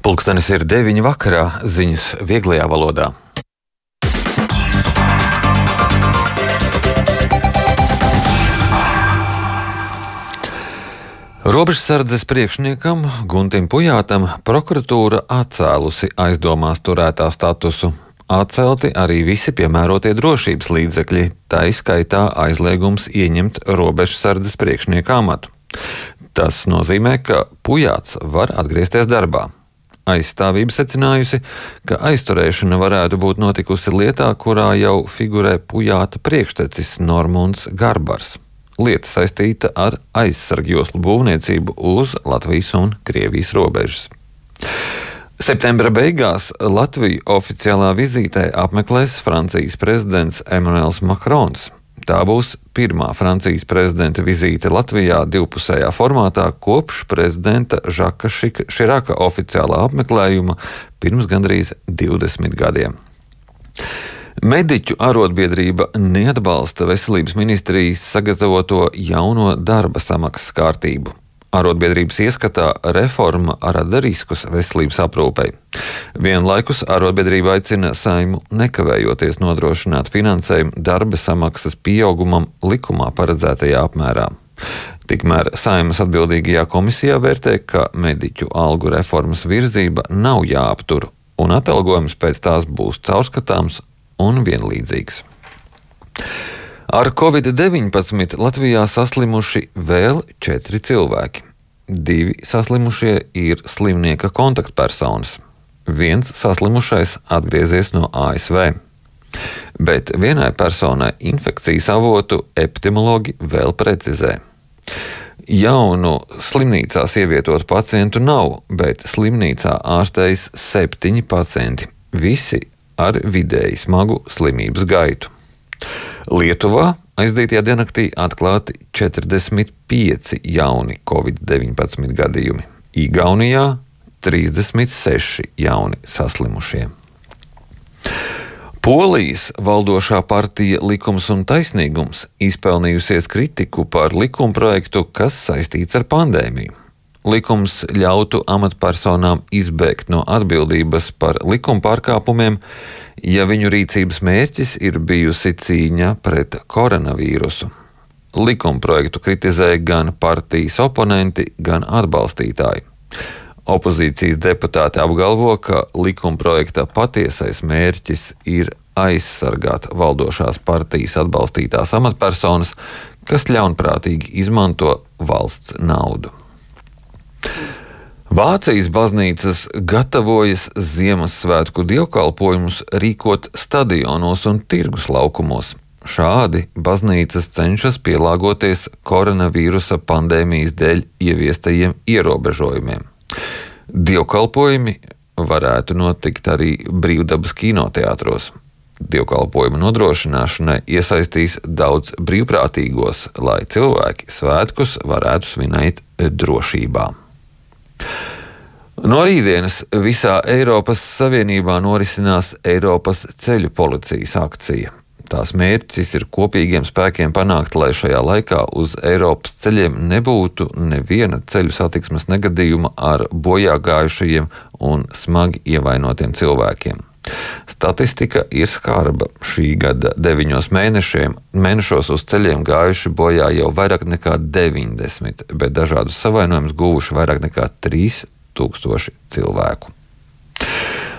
Pulkstenis ir 9 vakarā, ziņas vieglajā valodā. Robežsardzes priekšniekam Guntim Pujātam prokuratūra atcēlusi aizdomās turētā statusu. Atcelti arī visi piemērotie drošības līdzekļi, tā izskaitā aizliegums ieņemt robežsardzes priekšnieka amatu. Tas nozīmē, ka Pujāts var atgriezties darbā. Aizstāvība secinājusi, ka aizturēšana varētu būt notikusi lietā, kurā jau figurē Pujāta priekštecis Normunds Garbars. Lieta saistīta ar aizsargjoslu būvniecību uz Latvijas un Krievijas robežas. Septembra beigās Latviju oficiālā vizītē apmeklēs Francijas prezidents Emmanuels Macrons. Tā būs pirmā Francijas prezidenta vizīte Latvijā divpusējā formātā kopš prezidenta Žaka Širaka oficiālā apmeklējuma pirms gandrīz 20 gadiem. Mediķu arotbiedrība neatbalsta veselības ministrijas sagatavoto jauno darba samaksas kārtību. Arotbiedrības ieskatā reforma rada riskus veselības aprūpei. Vienlaikus arotbiedrība aicina Saeimu nekavējoties nodrošināt finansējumu darba samaksas pieaugumam likumā paredzētajā apmērā. Tikmēr Saeimas atbildīgajā komisijā vērtē, ka mediķu algu reformas virzība nav jāaptur, un atalgojums pēc tās būs caurskatāms un vienlīdzīgs. Ar Covid-19 Latvijā saslimuši vēl 4 cilvēki. 2 saslimušie ir slimnieka kontaktpersonas. 1 saslimušais atgriezies no ASV. Bet vienai personai infekcijas avotu epidemiologi vēl precizē. Jaunu slimnīcās ievietotu pacientu nav, bet slimnīcā ārstējas 7 pacienti. Visi ar vidēji smagu slimības gaitu. Lietuvā aizdītajā diennaktī atklāti 45 jauni Covid-19 gadījumi, Igaunijā 36 jauni saslimušie. Polijas valdošā partija Likums un taisnīgums izpelnījusies kritiku par likumprojektu, kas saistīts ar pandēmiju. Likums ļautu amatpersonām izbēgt no atbildības par likuma pārkāpumiem, ja viņu rīcības mērķis ir bijusi cīņa pret koronavīrusu. Likumprojektu kritizēja gan partijas oponenti, gan atbalstītāji. Opozīcijas deputāti apgalvo, ka likumprojekta patiesais mērķis ir aizsargāt valdošās partijas atbalstītās amatpersonas, kas ļaunprātīgi izmanto valsts naudu. Vācijas baznīcas gatavojas Ziemassvētku dievkalpojumus rīkot stadionos un tirgus laukumos. Šādi baznīcas cenšas pielāgoties koronavīrusa pandēmijas dēļ ieviestajiem ierobežojumiem. Dievkalpojumi varētu notikt arī brīvdabas kinoteātros. Dievkalpojumu nodrošināšanai iesaistīs daudz brīvprātīgos, lai cilvēki svētkus varētu svinēt drošībā. No rītdienas visā Eiropas Savienībā norisinās Eiropas ceļu policijas akcija. Tās mērķis ir kopīgiem spēkiem panākt, lai šajā laikā uz Eiropas ceļiem nebūtu neviena ceļu satiksmes negadījuma ar bojāgājušajiem un smagi ievainotiem cilvēkiem. Statistika ir skarba. Šī gada 9 mēnešos uz ceļiem gājuši bojā jau vairāk nekā 90, bet dažādus savainojumus guvuši vairāk nekā 3000 cilvēku.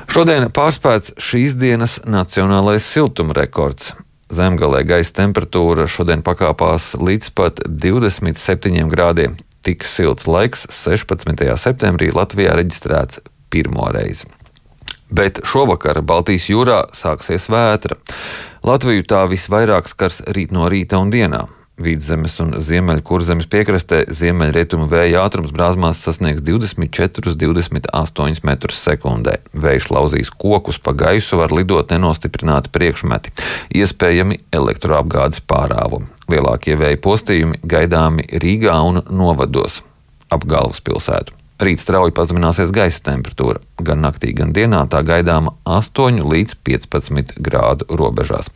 Šodien pārspēts šīs dienas nacionālais siltuma rekords. Zemgalē gaisa temperatūra šodien pakāpās līdz pat 27 grādiem. Tik silts laiks 16. septembrī Latvijā reģistrēts pirmo reizi. Bet šovakar Baltijas jūrā sāksies vētra. Latviju tā visvairāk skars rīt no rīta un dienā. Vidzemes un Ziemeļkurzemes piekrastē ziemeļrietumu vēja ātrums brāzmās sasniegs 24–28 metrus sekundē. Vējš lauzīs kokus, pa gaisu var lidot nenostiprināti priekšmeti, iespējami elektroapgādes pārāvumi. Lielākie vēja postījumi gaidāmi Rīgā un novados ap galvaspilsētu. Rīt strauji pazemināsies gaisa temperatūra. Gan naktī, gan dienā tā gaidāma 8 līdz 15 grādu robežās.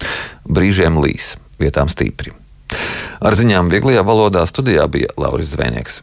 Brīžiem līs, vietām stipri. Ar ziņām vieglajā valodā studijā bija Lauris Zvēnieks.